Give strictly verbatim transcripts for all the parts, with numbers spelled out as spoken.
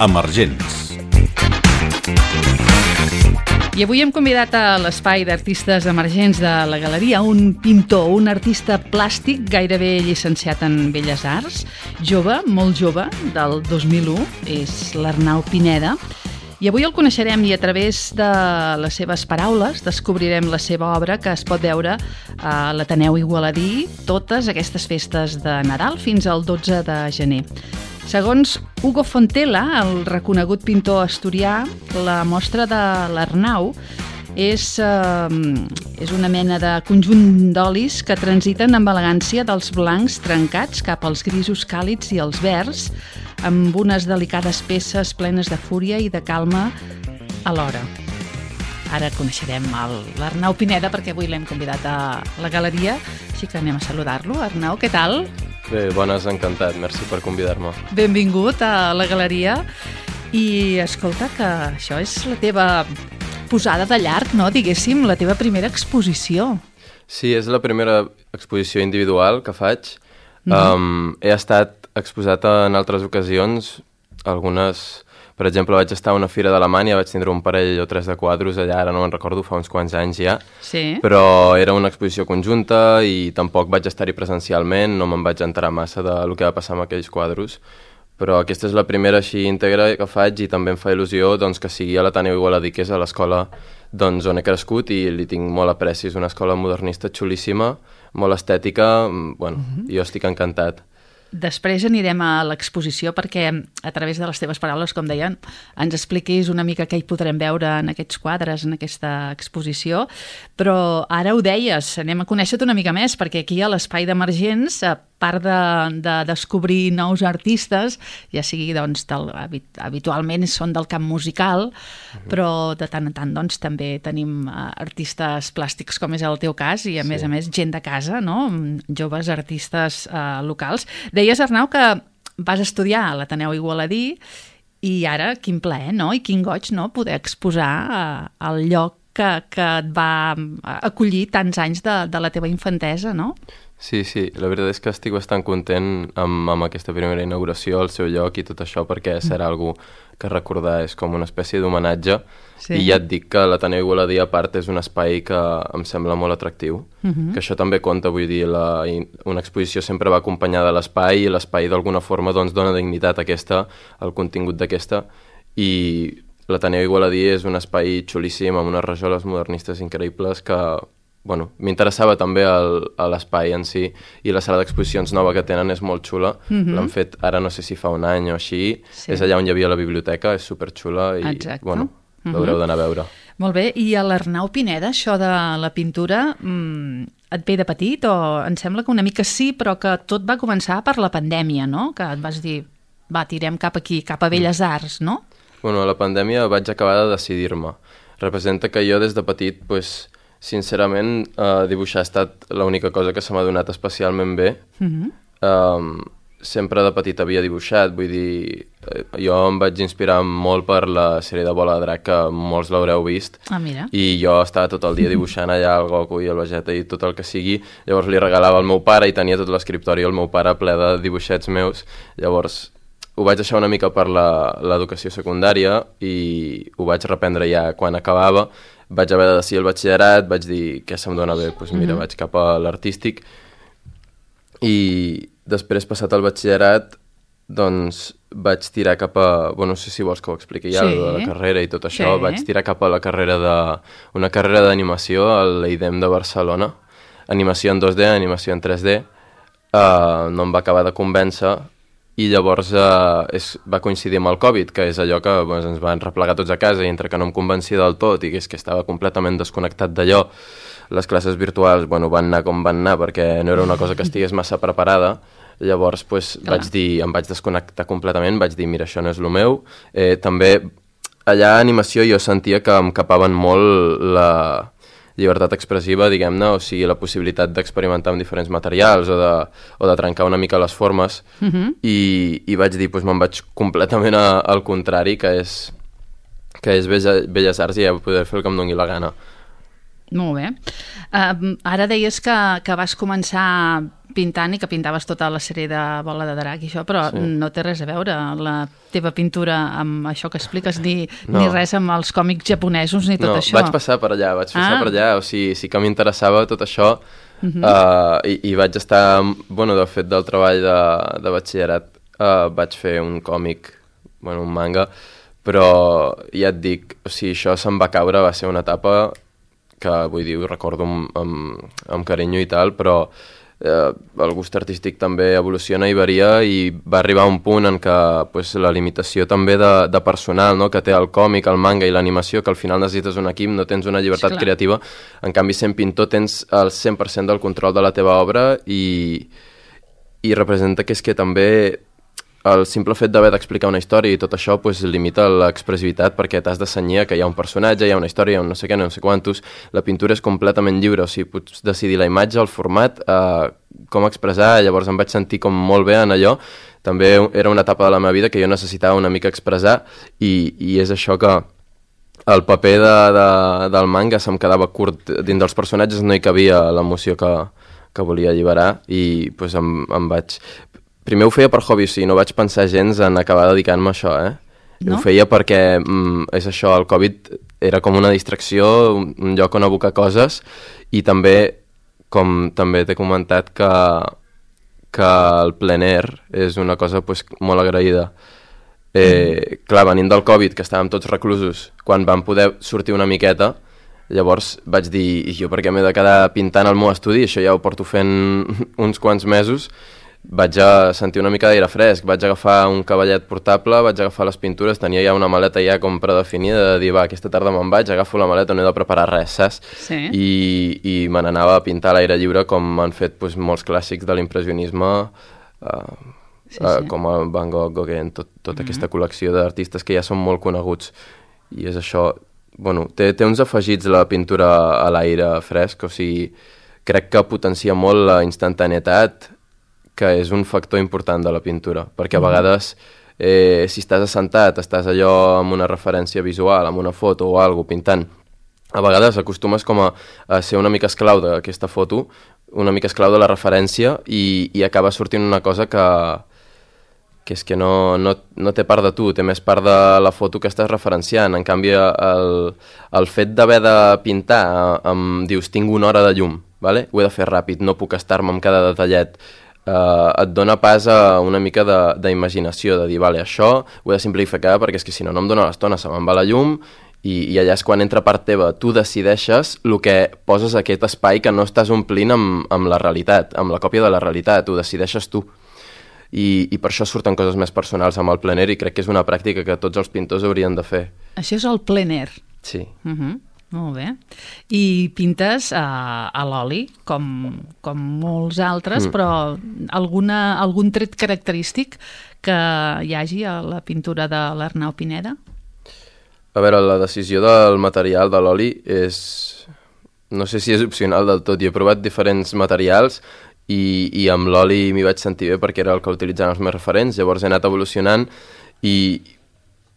Emergents. I avui hem convidat a l'espai d'artistes emergents de la Galeria un pintor, un artista plàstic gairebé llicenciat en Belles Arts, jove, molt jove, del dos mil u, és l'Arnau Pineda. I avui el coneixerem i a través de les seves paraules descobrirem la seva obra que es pot veure a l'Ateneu Igualadí totes aquestes festes de Nadal fins al dotze de gener. Segons Hugo Fontela, el reconegut pintor asturià, la mostra de l'Arnau és, eh, és una mena de conjunt d'olis que transiten amb elegància dels blancs trencats cap als grisos càlids i els verds, amb unes delicades peces plenes de fúria i de calma alhora. Ara coneixerem l'Arnau Pineda perquè avui l'hem convidat a la Galeria, així que anem a saludar-lo. Arnau, què tal? Bé, bones, encantat. Merci per convidar-me. Benvingut a la Galeria. I escolta, que això és la teva posada de llarg, no? Diguéssim, la teva primera exposició. Sí, és la primera exposició individual que faig. Mm-hmm. um, he estat exposat en altres ocasions, algunes... Per exemple, vaig estar a una fira d'Alemanya, vaig tindre un parell o tres de quadros allà, ara no me'n recordo, fa uns quants anys ja, sí. Però era una exposició conjunta i tampoc vaig estar-hi presencialment, no me'n vaig enterar massa del que va passar amb aquells quadros, però aquesta és la primera així íntegra que faig i també em fa il·lusió doncs, que sigui a l'Ateneu Igualadí, que és a l'escola doncs, on he crescut i li tinc molt apreci. És una escola modernista xulíssima, molt estètica, bueno, mm-hmm. Jo estic encantat. Després anirem a l'exposició perquè a través de les teves paraules, com deien, ens expliquis una mica què hi podrem veure en aquests quadres, en aquesta exposició, però ara ho deies, anem a conèixer-te una mica més perquè aquí a l'Espai d'Emergents, a part de, de descobrir nous artistes, ja sigui doncs, del, habitualment són del camp musical, mm-hmm. però de tant en tant doncs, també tenim artistes plàstics com és el teu cas i a sí. més a més gent de casa, no? Joves artistes eh, locals. Deies, Arnau, que vas estudiar a l'Ateneu Igualadí i ara quin plaer, no? I quin goig, no? Poder exposar eh, el lloc que, que et va acollir tants anys de, de la teva infantesa, no? Sí, sí, la veritat és que estic bastant content amb, amb aquesta primera inauguració, el seu lloc i tot això, perquè serà algú que recordar és com una espècie d'homenatge. Sí. I ja et dic que l'Ateneu Igualadí, a part, és un espai que em sembla molt atractiu, uh-huh. que això també compta, vull dir, la, una exposició sempre va acompanyada de l'espai i l'espai d'alguna forma doncs, dona dignitat a aquesta, al contingut d'aquesta, i l'Ateneu Igualadí és un espai xulíssim amb unes rajoles modernistes increïbles que... Bueno, m'interessava també el, l'espai en si i la sala d'exposicions nova que tenen és molt xula. Mm-hmm. L'han fet ara no sé si fa un any o així. Sí. És allà on hi havia la biblioteca, és superxula i exacte. Bueno, mm-hmm. l'haureu d'anar a veure. Molt bé, i a l'Arnau Pineda, això de la pintura, mmm, et ve de petit o em sembla que una mica sí, però que tot va començar per la pandèmia, no? Que et vas dir, va, tirem cap aquí, cap a Belles Arts, no? Bueno, a la pandèmia vaig acabar de decidir-me. Representa que jo des de petit, pues, sincerament, eh, dibuixar ha estat l'única cosa que se m'ha donat especialment bé. Mm-hmm. um, sempre de petit havia dibuixat, vull dir, eh, jo em vaig inspirar molt per la sèrie de Bola de Drac, que molts l'haureu vist, ah, mira. I jo estava tot el dia dibuixant allà el Goku i el Vegeta i tot el que sigui, llavors li regalava al meu pare i tenia tot l'escriptori el meu pare ple de dibuixets meus, llavors ho vaig deixar una mica per l'educació secundària i ho vaig reprendre ja quan acabava. Vaig haver de decidir el batxillerat, vaig dir què se'm dona bé, doncs mira, mm-hmm. vaig cap a l'artístic i després, passat el batxillerat, doncs vaig tirar cap a... Bueno, no sé si vols que ho expliqui ja, sí. de la carrera i tot això, sí. Vaig tirar cap a la carrera de... una carrera d'animació a l'E I D E M de Barcelona, animació en dos D, animació en tres D, uh, no em va acabar de convèncer i llavors eh, és, va coincidir amb el Covid, que és allò que doncs, ens van replegar tots a casa i entre que no em convencia del tot i que és que estava completament desconnectat d'allò, les classes virtuals bueno, van anar com van anar perquè no era una cosa que estigués massa preparada, llavors pues, vaig dir, em vaig desconnectar completament, vaig dir mira, això no és el meu. Eh, també allà a animació jo sentia que em capaven molt la llibertat expressiva, diguem-ne, o sigui, la possibilitat d'experimentar amb diferents materials o de, o de trencar una mica les formes, uh-huh. i, i vaig dir, doncs me'n vaig completament a, al contrari, que és, que és Belles Arts i ja poder fer el que em doni la gana. Molt bé. Uh, ara deies que, que vas començar pintant i que pintaves tota la sèrie de Bola de Drac i això, però Sí. no té res a veure la teva pintura amb això que expliques, ni, No. ni res amb els còmics japonesos ni tot no, això. vaig passar per allà, vaig passar Ah. per allà, o sigui, sí que m'interessava tot això, Mhm. uh, i, i vaig estar, bueno, de fet del treball de, de batxillerat, uh, vaig fer un còmic, bueno, un manga, però ja et dic, o sigui, això se'm va caure, va ser una etapa que, vull dir, ho recordo amb, amb, amb carinyo i tal, però eh, el gust artístic també evoluciona i varia, i va arribar a un punt en què pues, la limitació també de, de personal, no?, que té el còmic, el manga i l'animació, que al final necessites un equip, no tens una llibertat Sí, clar. creativa, en canvi sent pintor tens el cent per cent del control de la teva obra, i, i representa que és que també el simple fet d'haver d'explicar una història i tot això pues, limita l'expressivitat, perquè t'has de cenyir que hi ha un personatge, hi ha una història, hi ha un no sé què, no sé quantos. La pintura és completament lliure, o sigui, pots decidir la imatge, el format, eh, com expressar. Llavors em vaig sentir com molt bé en allò. També era una etapa de la meva vida que jo necessitava una mica expressar, i, i és això que el paper de, de, del manga se'm quedava curt. Dins dels personatges no hi cabia l'emoció que, que volia alliberar, i pues, em, em vaig... Primer ho feia per hobby, o sigui, no vaig pensar gens en acabar dedicant-me a això, eh? No? Ho feia perquè mm, és això, el Covid era com una distracció, un, un lloc on abocar coses, i també, com també t'he comentat, que, que el plein air és una cosa pues, molt agraïda. Eh, clar, venint del Covid, que estàvem tots reclusos, quan vam poder sortir una miqueta, llavors vaig dir, i jo per què m'he de quedar pintant al meu estudi? Això ja ho porto fent uns quants mesos. Vaig a sentir una mica d'aire fresc, vaig agafar un cavallet portable, vaig agafar les pintures, tenia ja una maleta ja com predefinida de dir, va, aquesta tarda me'n vaig, agafo la maleta, no he de preparar res, saps? Sí. I, i me n'anava a pintar a l'aire lliure, com han fet pues, molts clàssics de l'impressionisme, uh, Sí, uh, sí. com el Van Gogh, Gauguin, tot, tota mm-hmm. aquesta col·lecció d'artistes que ja són molt coneguts. I és això, bueno, té, té uns afegits la pintura a l'aire fresc, o sigui, crec que potencia molt la instantaneïtat, que és un factor important de la pintura, perquè a vegades eh, si estàs assentat, estàs allò amb una referència visual, amb una foto o alguna cosa pintant, a vegades acostumes com a, a ser una mica esclau d'aquesta foto, una mica esclau de la referència, i, i acaba sortint una cosa que, que és que no, no, no té part de tu, té més part de la foto que estàs referenciant. En canvi, el, el fet d'haver de pintar, em dius, tinc una hora de llum, vale? Ho he de fer ràpid, no puc estar-me amb cada detallet, Uh, et dona pas a una mica d'imaginació, de, de dir, vale, això ho he de simplificar perquè és que si no, no em dona l'estona, se me'n va la llum, i, i allà és quan entra part teva, tu decideixes el que poses a aquest espai que no estàs omplint amb, amb la realitat, amb la còpia de la realitat, ho decideixes tu. I, i per això surten coses més personals amb el plein air, i crec que és una pràctica que tots els pintors haurien de fer. Això és el plein air. Sí. Uh -huh. Molt bé. I pintes a, a l'oli, com, com molts altres, mm. però alguna, algun tret característic que hi hagi a la pintura de l'Arnau Pineda? A veure, la decisió del material de l'oli és... No sé si és opcional del tot. Jo he provat diferents materials i, i amb l'oli m'hi vaig sentir bé perquè era el que utilitzaven els meus referents. Llavors he anat evolucionant i...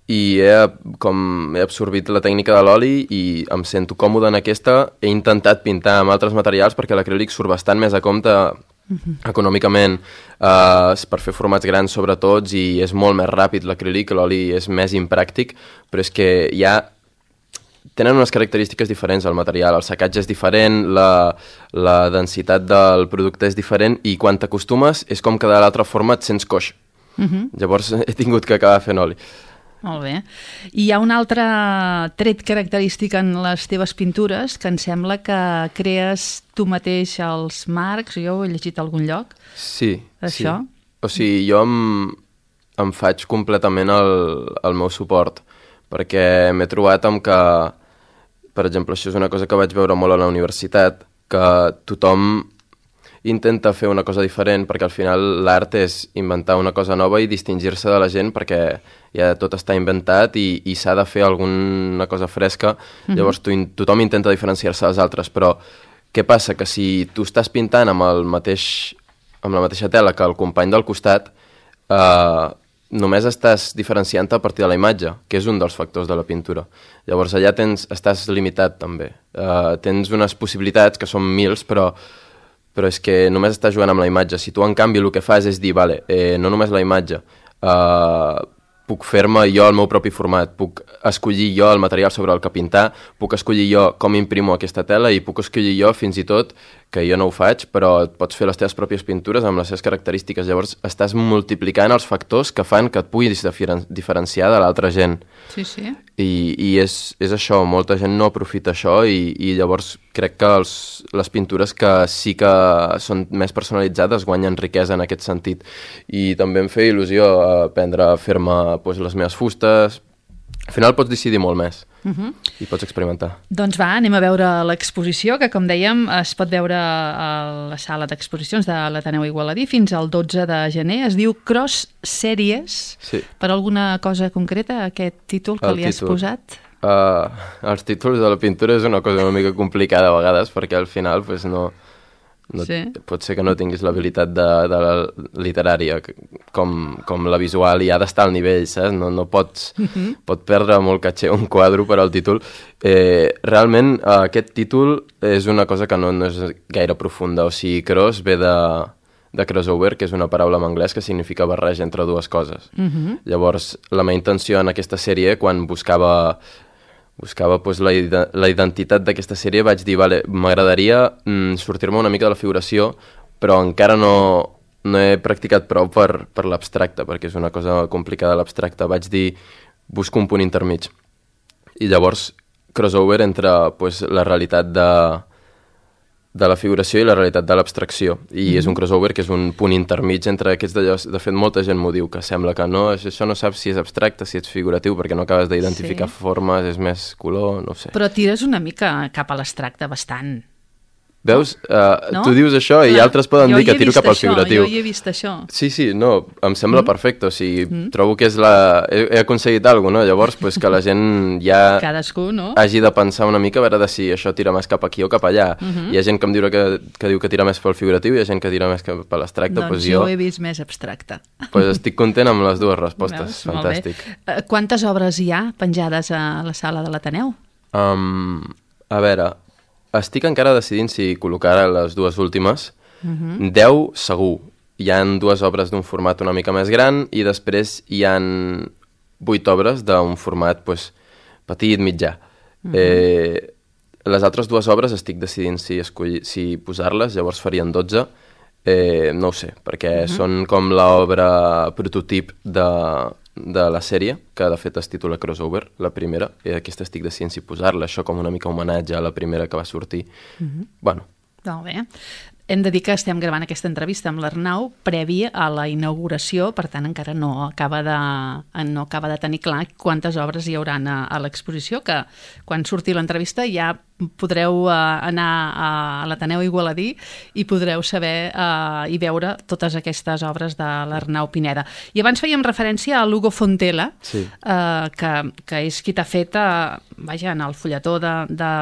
i he, com, he absorbit la tècnica de l'oli i em sento còmode en aquesta. He intentat pintar amb altres materials perquè l'acrílic surt bastant més a compte uh-huh. econòmicament, uh, per fer formats grans sobretot, i és molt més ràpid l'acrílic, l'oli és més impràctic, però és que ja tenen unes característiques diferents al material, el secatge és diferent, la, la densitat del producte és diferent, i quan t'acostumes és com que de l'altra forma et sents coix. Uh-huh. Llavors he tingut que acabar fent oli. Molt bé. I hi ha un altre tret característic en les teves pintures que em sembla que crees tu mateix els marcs, jo ho he llegit a algun lloc. Sí, això? Sí. O sigui, jo em, em faig completament el, el meu suport, perquè m'he trobat amb que, per exemple, això és una cosa que vaig veure molt a la universitat, que tothom intenta fer una cosa diferent, perquè al final l'art és inventar una cosa nova i distingir-se de la gent, perquè ja tot està inventat i, i s'ha de fer alguna cosa fresca. Mm-hmm. Llavors tu, tothom intenta diferenciar-se dels altres, però què passa? Que si tu estàs pintant amb, el mateix, amb la mateixa tela que el company del costat, eh, només estàs diferenciant-te a partir de la imatge, que és un dels factors de la pintura. Llavors allà tens, estàs limitat també. Eh, tens unes possibilitats que són mils, però però és que només estàs jugant amb la imatge. Si tu, en canvi, el que fas és dir, vale, eh, no només la imatge, eh, puc fer-me jo el meu propi format, puc escollir jo el material sobre el que pintar, puc escollir jo com imprimo aquesta tela i puc escollir jo fins i tot, que jo no ho faig, però et pots fer les teves pròpies pintures amb les seves característiques. Llavors estàs multiplicant els factors que fan que et puguis diferen diferenciar de l'altra gent. Sí, sí. I, i és, és això, molta gent no aprofita això i, i llavors crec que els, les pintures que sí que són més personalitzades guanyen riquesa en aquest sentit. I també em feia il·lusió aprendre a fer-me pues, les meves fustes. Al final pots decidir molt més uh-huh. i pots experimentar. Doncs va, anem a veure l'exposició, que com dèiem es pot veure a la sala d'exposicions de l'Ateneu Igualadí fins al dotze de gener. Es diu Cross Series. Sí. Per alguna cosa concreta, aquest títol que El li has títol. posat? Uh, els títols de la pintura és una cosa una mica complicada a vegades, perquè al final pues, no, no, sí. pot ser que no tinguis l'habilitat de, de la literària com, com la visual i ha d'estar al nivell, saps? No, no pots, uh-huh. pot perdre molt caché un quadre per al títol. Eh, realment uh, aquest títol és una cosa que no, no és gaire profunda, o sigui, cross ve de, de crossover, que és una paraula en anglès que significa barreja entre dues coses. Uh-huh. Llavors, la meva intenció en aquesta sèrie, quan buscava buscava pues, la, la identitat d'aquesta sèrie, vaig dir, vale, m'agradaria mm, sortir-me una mica de la figuració, però encara no, no he practicat prou per, per l'abstracte, perquè és una cosa complicada l'abstracte. Vaig dir, busco un punt intermig. I llavors, crossover entre pues, la realitat de, de la figuració i la realitat de l'abstracció. I mm-hmm. és un crossover que és un punt intermig entre aquests d'allò. De fet, molta gent m'ho diu, que sembla que no, això no saps si és abstracte, si ets figuratiu, perquè no acabes d'identificar sí. formes, és més color, no ho sé. Però tires una mica cap a l'abstracte, bastant. Veus? Uh, no? Tu dius això i Clar, altres poden dir que tiro cap al això, figuratiu. Jo hi he vist això. Sí, sí, no, em sembla mm. perfecte, o sigui, mm. trobo que és la... He, he aconseguit alguna cosa, no? Llavors, pues, que la gent ja Cadascú, no? hagi de pensar una mica a veure de si això tira més cap aquí o cap allà. Mm -hmm. Hi ha gent que em diu que, que diu que tira més pel figuratiu i hi ha gent que tira més cap a l'abstracte. Doncs pues jo jo he vist més abstracte. Pues estic content amb les dues respostes. Veus? Fantàstic. Quantes obres hi ha penjades a la sala de l'Ateneu? Um, a veure... Estic encara decidint si col·locar les dues últimes. Uh-huh. deu, segur. Hi han dues obres d'un format una mica més gran i després hi han vuit obres d'un format pues, petit, mitjà. Uh-huh. Eh, les altres dues obres estic decidint si, escollir, si posar-les, llavors farien dotze. Eh, no ho sé, perquè uh-huh. són com l'obra prototip de... de la sèrie, que de fet es titula Crossover, la primera, i aquesta estic decidint si posar-la, això com una mica homenatge a la primera que va sortir. Uh-huh. Bueno. Molt bé. Hem de dir que estem gravant aquesta entrevista amb l'Arnau previ a la inauguració, per tant encara no acaba de, no acaba de tenir clar quantes obres hi hauran a, a l'exposició, que quan surti l'entrevista ja podreu uh, anar a, a l'Ateneu Igualadí i podreu saber uh, i veure totes aquestes obres de l'Arnau Pineda. I abans fèiem referència a l'Hugo Fontela, sí. uh, que, que és qui t'ha fet, uh, vaja, en el fulletó de, de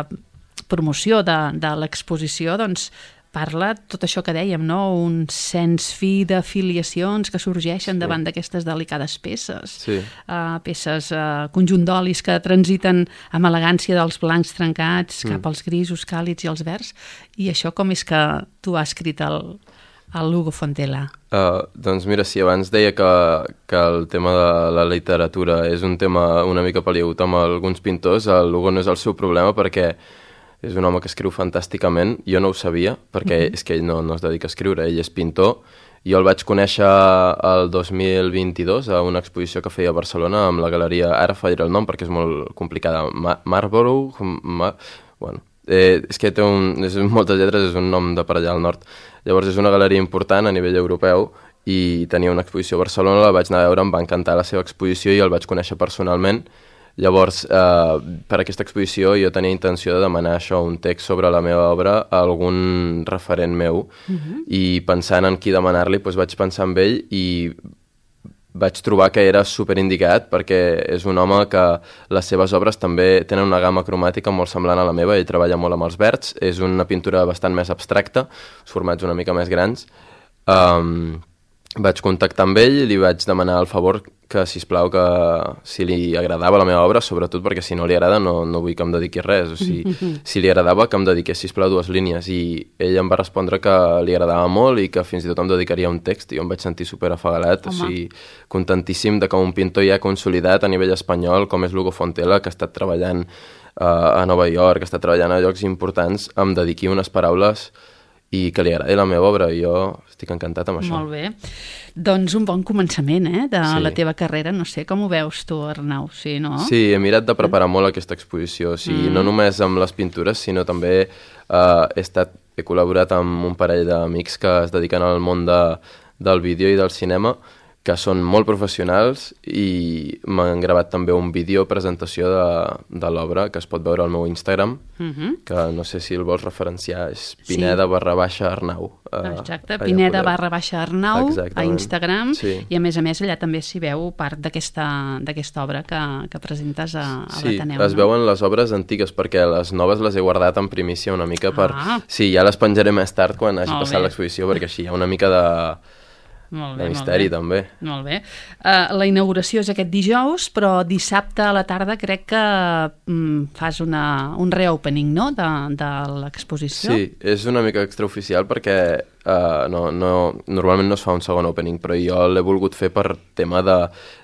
promoció de, de l'exposició, doncs parla tot això que dèiem, no? Un sens fi d'afiliacions que sorgeixen sí. davant d'aquestes delicades peces. Sí. Uh, peces, uh, conjunt d'olis que transiten amb elegància dels blancs trencats mm. cap als grisos càlids i els verds. I això com és que tu has escrit el, el Hugo Fontela? Uh, doncs mira, si abans deia que, que el tema de la literatura és un tema una mica peliagut amb alguns pintors, el Hugo no és el seu problema perquè és un home que escriu fantàsticament. Jo no ho sabia, perquè mm-hmm. és que ell no, no es dedica a escriure, ell és pintor. Jo el vaig conèixer el dos mil vint-i-dos a una exposició que feia a Barcelona amb la galeria, ara fallaré el nom perquè és molt complicada, Ma Marlborough, Ma bueno, eh, és que té un, és moltes lletres, és un nom de per allà al nord. Llavors és una galeria important a nivell europeu i tenia una exposició a Barcelona, la vaig anar a veure, em va encantar la seva exposició i el vaig conèixer personalment. Llavors, eh, per aquesta exposició jo tenia intenció de demanar això, un text sobre la meva obra a algun referent meu uh-huh. i pensant en qui demanar-li, doncs vaig pensar en ell i vaig trobar que era superindicat perquè és un home que les seves obres també tenen una gamma cromàtica molt semblant a la meva, ell treballa molt amb els verds, és una pintura bastant més abstracta, formats una mica més grans. Um, vaig contactar amb ell i li vaig demanar el favor que, sisplau, que si li agradava la meva obra, sobretot perquè si no li agrada no, no vull que em dediqui res, o sigui, mm-hmm. si li agradava que em dediqués, sisplau, dues línies, i ell em va respondre que li agradava molt i que fins i tot em dedicaria un text, i jo em vaig sentir superafagalat, o sigui, contentíssim de que un pintor ja consolidat a nivell espanyol, com és Lugo Fontela, que ha estat treballant uh, a Nova York, que està treballant a llocs importants, em dediqui unes paraules i que li agradi la meva obra, i jo estic encantat amb això. Molt bé. Doncs un bon començament, eh, de sí. la teva carrera. No sé, com ho veus tu, Arnau? Sí, no? Sí, he mirat de preparar molt aquesta exposició, o sigui, mm. no només amb les pintures, sinó també eh, he, estat, he col·laborat amb un parell d'amics que es dediquen al món de, del vídeo i del cinema, que són molt professionals, i m'han gravat també un vídeo presentació de, de l'obra que es pot veure al meu Instagram, mm-hmm. que no sé si el vols referenciar, és Pineda sí. barra baixa Arnau. Uh, Exacte, Pineda podeu... barra baixa Arnau Exactament. A Instagram, sí. i a més a més allà també s'hi veu part d'aquesta obra que, que presentes a, a sí, l'Ateneu. Sí, es no? veuen les obres antigues, perquè les noves les he guardat en primícia una mica per... Ah. Sí, ja les penjaré més tard quan hagi molt passat l'exposició, perquè així hi ha una mica de... Molt bé, de misteri, molt bé. també. Molt bé. Uh, la inauguració és aquest dijous, però dissabte a la tarda crec que um, fas una, un reopening, no?, de, de l'exposició. Sí, és una mica extraoficial perquè uh, no, no, normalment no es fa un segon opening, però jo l'he volgut fer per tema de,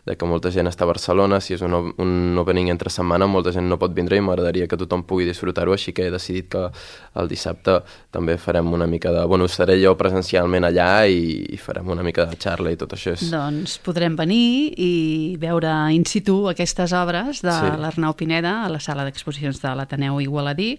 de que molta gent està a Barcelona, si és un, un opening entre setmana, molta gent no pot vindre i m'agradaria que tothom pugui disfrutar-ho, així que he decidit que el dissabte també farem una mica de... Bueno, seré jo presencialment allà i, i farem una mica de xarra i tot això. És... Doncs podrem venir i veure in situ aquestes obres de sí. l'Arnau Pineda a la sala d'exposicions de l'Ateneu Igualadí,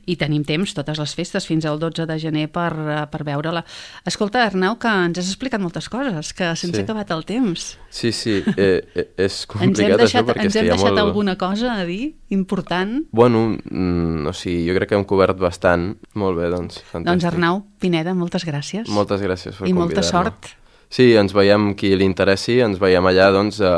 i tenim temps totes les festes fins al dotze de gener per, per veure-la. Escolta, Arnau, que ens has explicat moltes coses, que se'ns sí. ha acabat el temps. Sí, sí, eh, eh, és complicat deixat, això perquè ens hem és que hi ha deixat molt... alguna cosa a dir important? Bueno, mm, o sigui, jo crec que hem cobert bastant. Molt bé, doncs, fantàstic. Doncs Arnau Pineda, moltes gràcies. Moltes gràcies per I convidar-me. molta sort. Sí, ens veiem, qui li interessi, ens veiem allà, doncs eh,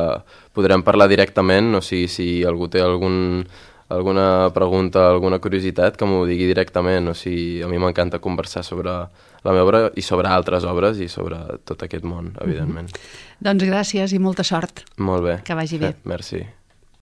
podrem parlar directament, o sigui, si algú té algun, alguna pregunta, alguna curiositat, que m'ho digui directament, o sigui, a mi m'encanta conversar sobre la meva obra i sobre altres obres i sobre tot aquest món, evidentment. Mm-hmm. Doncs gràcies i molta sort. Molt bé. Que vagi bé. Eh, merci.